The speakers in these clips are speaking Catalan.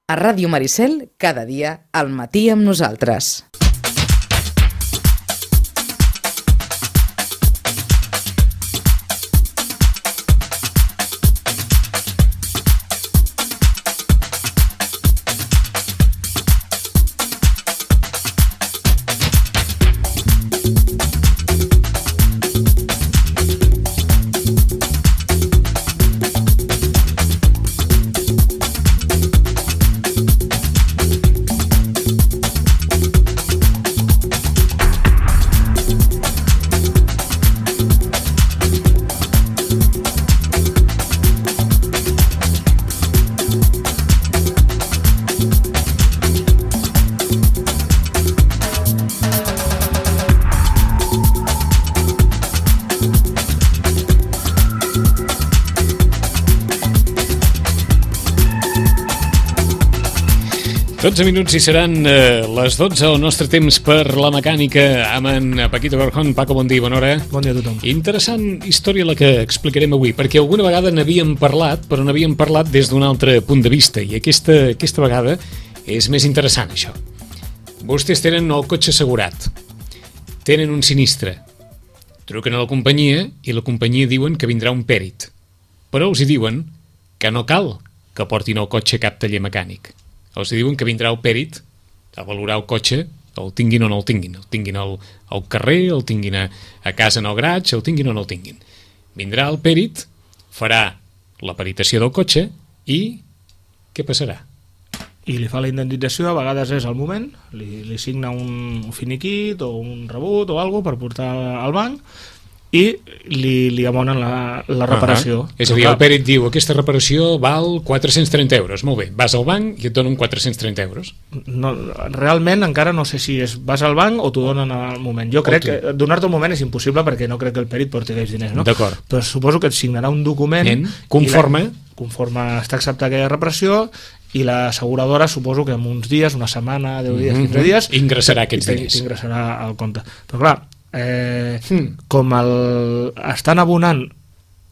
A Ràdio Maricel, cada dia al matí amb nosaltres. Dotze minuts i seran les 12 el nostre temps per la mecànica amb en Paquito Garjón. Paco, bon dia, bona hora. Bon dia a tothom. Interessant història la que explicarem avui, perquè alguna vegada n'havíem parlat, però n'havíem parlat des d'un altre punt de vista, i aquesta vegada és més interessant, això. Vostès tenen el cotxe assegurat, tenen un sinistre, truquen a la companyia i la companyia diuen que vindrà un pèrit, però els hi diuen que no cal que portin el cotxe a cap taller mecànic. Els diuen que vindrà el pèrit a valorar el cotxe, el tinguin o no el tinguin. El tinguin al carrer, el tinguin a casa en el garatge, el tinguin o no el tinguin. Vindrà el pèrit, farà la peritació del cotxe i què passarà? I li fa la indemnització, a vegades és al moment, li signa un finiquit o un rebut o alguna per portar al banc i li abonen la reparació. És a dir, el pèrit diu aquesta reparació val 430 euros. Molt bé, vas al banc i et donen 430 euros. No, realment encara no sé si vas al banc o t'ho donen al moment. Jo crec que donar-te al moment és impossible perquè no crec que el pèrit porti aquells diners, no? D'acord. Però suposo que et signarà un document conforme està acceptat aquella reparació i l'asseguradora suposo que en uns dies, una setmana, 10 dies, 15 dies ingressarà aquests diners. T'ingressarà al compte. Però clar, com estan abonant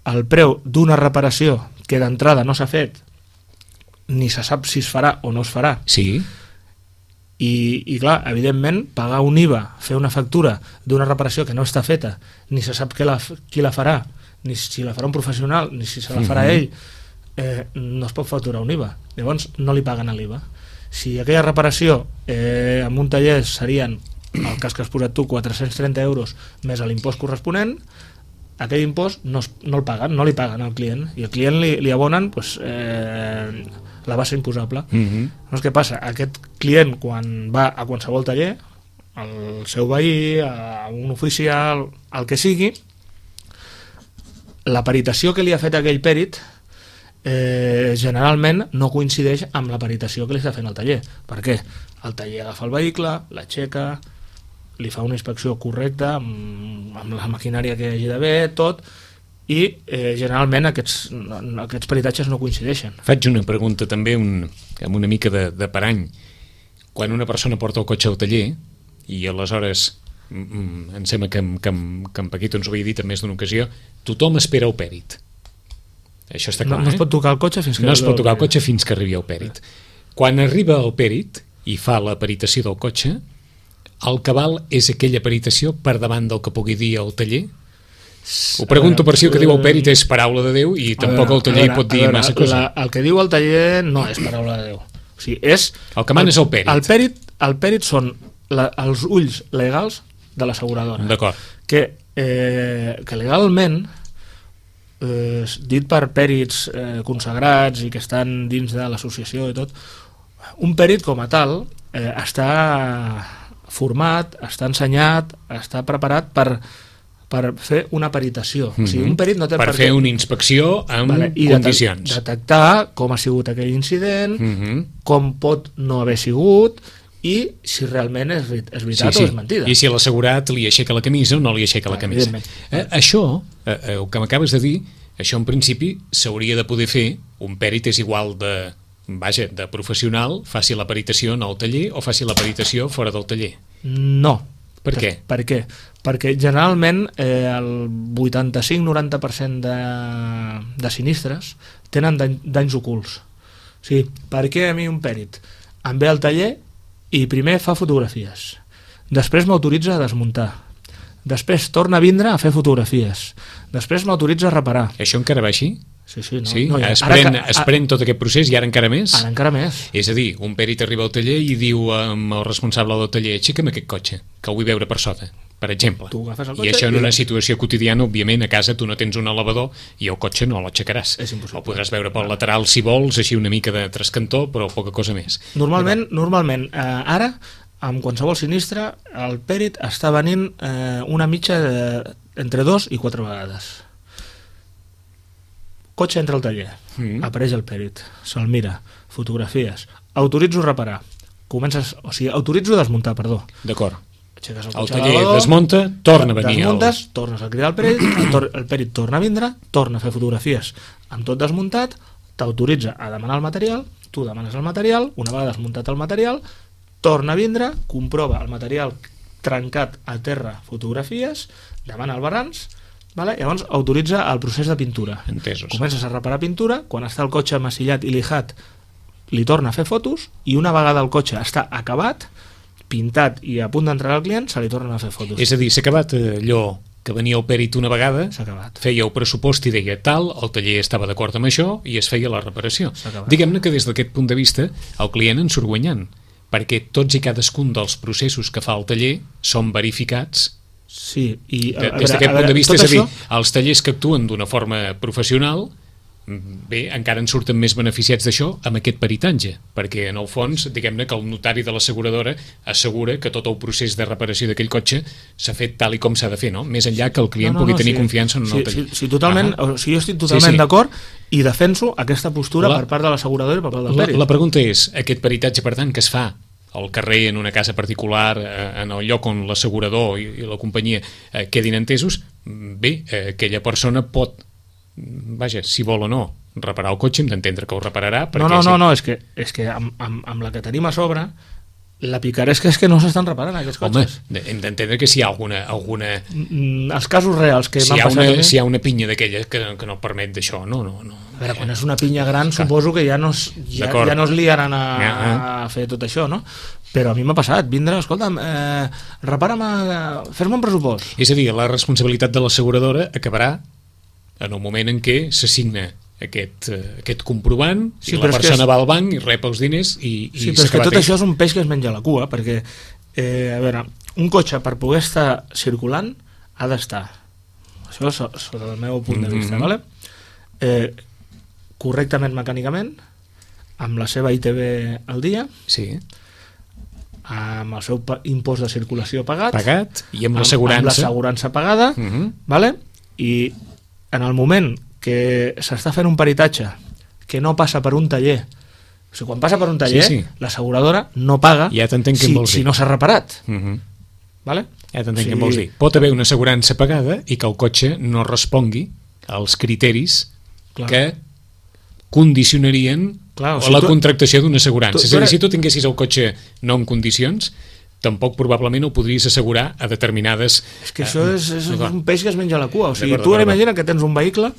el preu d'una reparació que d'entrada no s'ha fet ni se sap si es farà o no es farà, sí. I clar, evidentment pagar un IVA, fer una factura d'una reparació que no està feta, ni se sap qui la farà, ni si la farà un professional ni si se la farà ell, no es pot facturar un IVA, llavors no li paguen l'IVA. Si aquella reparació en un taller serien, el cas que has posat tu, 430 euros més l'impost corresponent, aquell impost no el paguen, no li paguen al client, i al client li abonen la base imposable. Llavors què passa? Aquest client, quan va a qualsevol taller, al seu veí, a un oficial, el que sigui, la peritació que li ha fet aquell pèrit generalment no coincideix amb la peritació que li està fent al taller. Per què? El taller agafa el vehicle, l'aixeca, li fa una inspecció correcta amb la maquinària que hi hagi d'haver, tot, i generalment aquests peritatges no coincideixen. Faig una pregunta també amb una mica de parany. Quan una persona porta el cotxe al taller i aleshores em sembla que en Paquito ens ho havia dit en més d'una ocasió, tothom espera el pèrit. Això està clar, no es pot tocar el cotxe fins que no es pot tocar el cotxe fins que arribi el pèrit. Quan arriba el pèrit i fa la peritació del cotxe, el que val és aquella peritació per davant del que pugui dir el taller? Ho pregunto per si el que diu el pèrit és paraula de Déu i tampoc el taller hi pot dir massa cosa. El que diu el taller no és paraula de Déu. O sigui, el que mana és el pèrit. El pèrit són els ulls legals de l'asseguradora. D'acord. Que legalment, dit per pèrits consagrats i que estan dins de l'associació i tot, un pèrit com a tal està format, està ensenyat, està preparat per fer una peritació. O sigui, un pèrit no té per fer una inspecció amb condicions. Detectar com ha sigut aquell incident, com pot no haver sigut i si realment és veritat o és mentida. I si l'assegurat li aixeca la camisa o no li aixeca la camisa. Això, el que m'acabes de dir, això en principi s'hauria de poder fer. Un pèrit és igual de professional, faci la peritació en el taller o faci la peritació fora del taller. No. Per què? Perquè generalment el 85-90% de sinistres tenen danys ocults. Sí, per què a mi un pèrit em ve al taller i primer fa fotografies, després m'autoritza a desmuntar, després torna a vindre a fer fotografies, després m'autoritza a reparar. Això encara va així? Sí, no, Sí? no, Es pren tot aquest procés i ara encara més? Ara encara més. És a dir, un pèrit arriba al taller i diu amb el responsable del taller: aixeca'm aquest cotxe, que el vull veure per sota, per exemple. Tu agafes el I cotxe això en i- una situació quotidiana, òbviament, a casa tu no tens un elevador i el cotxe no l'aixecaràs. És impossible. El podràs veure pel lateral si vols, així una mica de trascantó, però poca cosa més. Normalment, ara, amb qualsevol sinistre, el pèrit està venint una mitja entre 2 i 4 vegades. Cotxe entra al taller, apareix el pèrit, se'l mira, fotografies, autoritzo reparar, autoritzo desmuntar, perdó. D'acord. Aixeques El cotxe a taller l'elevador, desmunta, torna a venir desmuntes, tornes a cridar el pèrit, el pèrit torna a vindre, torna a fer fotografies amb tot desmuntat, t'autoritza a demanar el material, tu demanes el material, una vegada desmuntat el material, torna a vindre, comprova el material trencat a terra, fotografies, demana el balanç, vale? Llavors autoritza el procés de pintura. Entesos. Comences a reparar pintura, quan està el cotxe masillat i lijat li torna a fer fotos i una vegada el cotxe està acabat, pintat i a punt d'entrar al client, se li tornen a fer fotos. És a dir, s'ha acabat allò que venia el pèrit una vegada, S'ha acabat. feia el pressupost i deia tal, el taller estava d'acord amb això i es feia la reparació. S'ha acabat. Diguem-ne que des d'aquest punt de vista el client en surt guanyant, perquè tots i cadascun dels processos que fa el taller són verificats. Sí, i Des d'aquest punt de vista, és a dir, els tallers que actuen d'una forma professional, bé, encara en surten més beneficiats d'això amb aquest peritatge, perquè en el fons, diguem-ne que el notari de l'asseguradora assegura que tot el procés de reparació d'aquell cotxe s'ha fet tal i com s'ha de fer, no? Més enllà que el client pugui tenir confiança en el taller. Sí, totalment, o sigui, jo estic totalment d'acord i defenso aquesta postura La- per part de l'asseguradora i per part del pèrit. La pregunta és, aquest peritatge, per tant, que es fa al carrer, en una casa particular, en el lloc on l'assegurador i la companyia quedin entesos, bé, aquella persona pot, vaja, si vol o no, reparar el cotxe, hem d'entendre que ho repararà. No, és que amb la que tenim a sobre, la picaresca és que no s'estan reparant aquests Home, cotxes. hem d'entendre que si hi ha alguna Els casos reals que si m'han hi ha passat a mi, si hi ha una pinya d'aquella que no permet d'això, no. a veure, quan és una pinya gran suposo que ja no es liaran a fer tot això, no? Però a mi m'ha passat, vindre, escolta'm, fes-me un pressupost. És a dir, la responsabilitat de l'asseguradora acabarà en el moment en què s'assigna aquest comprovant, Sí, i però la és que persona va al banc i rep els diners i Sí, però és que tot això és un peix que es menja la cua, perquè, a veure, un cotxe per poder estar circulant ha d'estar, això sota el meu punt de vista, vale? Correctament mecànicament, amb la seva ITV al dia, Sí, amb el seu impost de circulació pagat, i amb amb l'assegurança. l'assegurança pagada, Mhm. vale? I en el moment que s'està fent un peritatge que no passa per un taller, o sigui, quan passa per un taller, Sí. l'asseguradora no paga Ja t'entenc què em vols dir. si no s'ha reparat. Mhm. Vale? Ja t'entenc què em vols dir. Pot haver una assegurança pagada i que el cotxe no respongui als criteris Clar. que condicionarien Clar, o sigui, la tu- contractació d'una assegurança. tu És a dir, eres- si tu tinguessis el cotxe no en condicions, tampoc probablement ho podries assegurar a determinades... És que això és un peix que es menja la cua. O sigui, D'acord, tu ara d'acord. imagina que tens un vehicle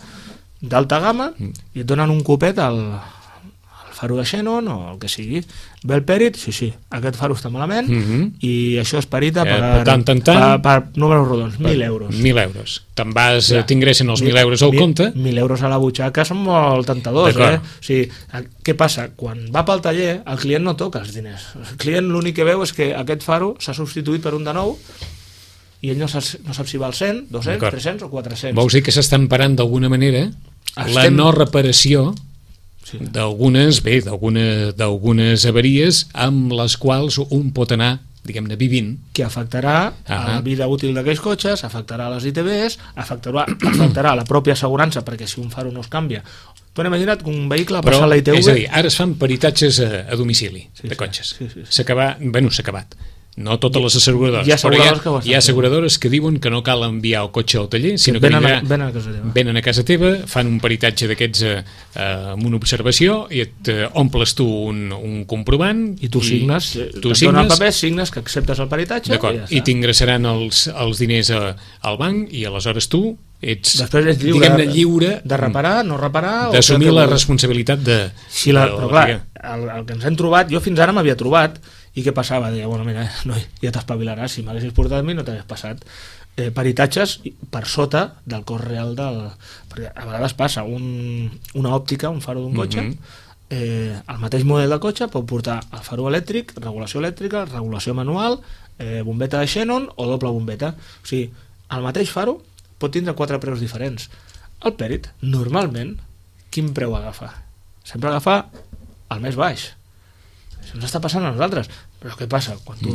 d'alta gamma i et donen un copet al faro de xenon o el que sigui. Ve el pèrit, sí, aquest faro està malament i això es perita per números rodons, 1.000 euros. 1.000 euros. Te'n vas, t'ingressen els 1.000 euros al compte. 1.000 euros a la butxaca són molt tentadors, D'acord. O sigui, què passa? Quan va pel taller, el client no toca els diners. El client l'únic que veu és que aquest faro s'ha substituït per un de nou i ell no sap si val 100, 200, D'acord. 300 o 400. Vols dir que s'estan parant d'alguna manera la Estem- no reparació Sí. d'algunes avaries amb les quals un pot anar, diguem-ne, vivint. Que afectarà a la vida útil d'aquells cotxes, afectarà a les ITBs, afectarà a la pròpia assegurança, perquè si un faro no es canvia. Tu n'he imaginat que un vehicle ha Però, passat la ITV... és a dir, ara es fan peritatges a domicili Sí, de sí, cotxes. sí. S'ha acabat, no totes les asseguradores, Hi ha asseguradores que ho però estan hi ha asseguradores que diuen que no cal enviar el cotxe al taller, sinó que venen a casa teva. venen a casa teva, fan un peritatge d'aquests amb una observació i et omples tu un comprovant I tu signes, tu et donen el paper, signes que acceptes el peritatge d'acord, i ja i està. t'ingressaran els diners al banc i aleshores tu després ets lliure, diguem-ne, lliure de reparar, no reparar, d'assumir la responsabilitat de però clar, el que ens hem trobat, jo fins ara m'havia trobat, i què passava? Deia, bueno, mira, no, ja t'espavilaràs, si m'haguessis portat a mi no t'hagués passat. Peritatges per sota del cost real perquè a vegades passa una òptica, un faro d'un cotxe, el mateix model de cotxe pot portar el faro elèctric, regulació elèctrica, regulació manual, bombeta de xenon o doble bombeta. O sigui, el mateix faro pot tindre 4 preus diferents. El pèrit, normalment, quin preu agafa? Sempre agafa el més baix. Això ens està passant a nosaltres. Però què passa? Quan tu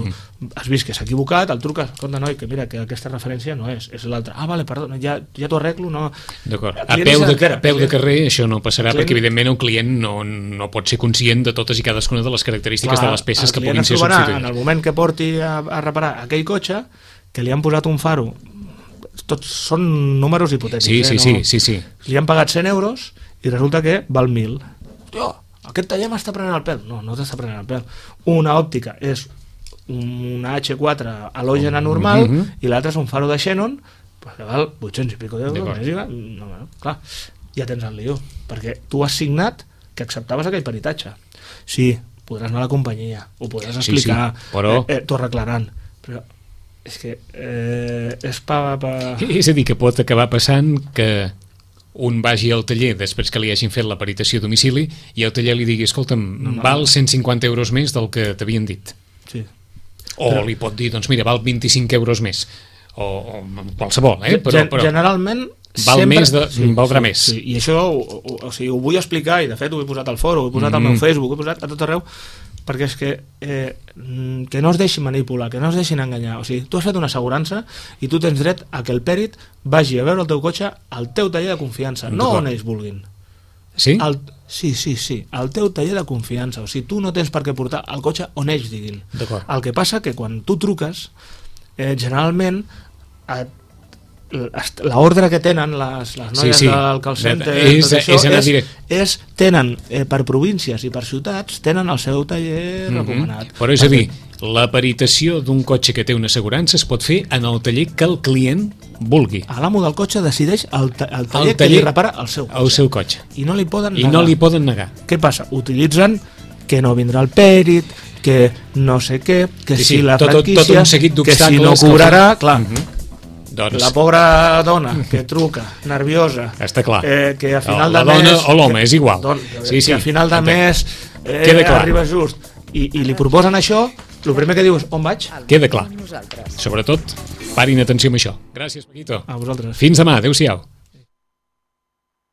has vist que s'ha equivocat, el truques, escolta, noi, que mira, que aquesta referència no és l'altra. Ah, vale, perdona, ja t'ho arreglo, no... D'acord. A peu de carrer això no passarà, perquè evidentment el client no pot ser conscient de totes i cadascuna de les característiques de les peces que puguin ser substituïdes. En el moment que porti a reparar aquell cotxe, que li han posat un faro, tots són números hipotètics. Sí. Li han pagat 100 euros i resulta que val 1.000. Hòstia, aquest taller m'està prenent el pèl. No t'està prenent el pèl. Una òptica és una H4 halògena normal i l'altra és un faro de xenon que val 800 i pico d'euros. Clar, ja tens el lío, perquè tu has signat que acceptaves aquell peritatge. Sí, podràs anar a la companyia, ho podràs explicar, però... t'ho arreglaran, però és que és És a dir, que pot acabar passant que un vagi al taller després que li hagin fet la peritació a domicili i el taller li digui, escolta'm, val 150 euros més del que t'havien dit. Sí. O li pot dir, doncs mira, val 25 euros més. O qualsevol, però generalment val sempre... més, valdrà més. Sí. I això ho vull explicar, i de fet ho he posat al foro, ho he posat al meu Facebook, ho he posat a tot arreu, perquè és que no es deixin manipular, que no es deixin enganyar. O sigui, tu has fet una assegurança i tu tens dret a que el pèrit vagi a veure el teu cotxe al teu taller de confiança, no on ells vulguin. Sí? Sí, al teu taller de confiança. O sigui, tu no tens per què portar el cotxe on ells diguin. El que passa que quan tu truques, generalment l'ordre que tenen les noies del call center tenen per províncies i per ciutats tenen el seu taller recomanat. Però és a dir, la peritació d'un cotxe que té una assegurança es pot fer en el taller que el client vulgui. L'amo del cotxe decideix el taller que li repara el seu cotxe. I no li poden negar. Què passa? Utilitzen que no vindrà el pèrit, que no sé què, que si la franquícia, que si no cobrarà, clar. La pobra dona que truca, nerviosa, està clar. Que a final de mes... La dona o l'home, és igual. Que a final de mes arriba just i li proposen això, el primer que diu és on vaig? Queda clar. Sobretot, parin atenció amb això. Gràcies, Paquito. A vosaltres. Fins demà, adéu-siau.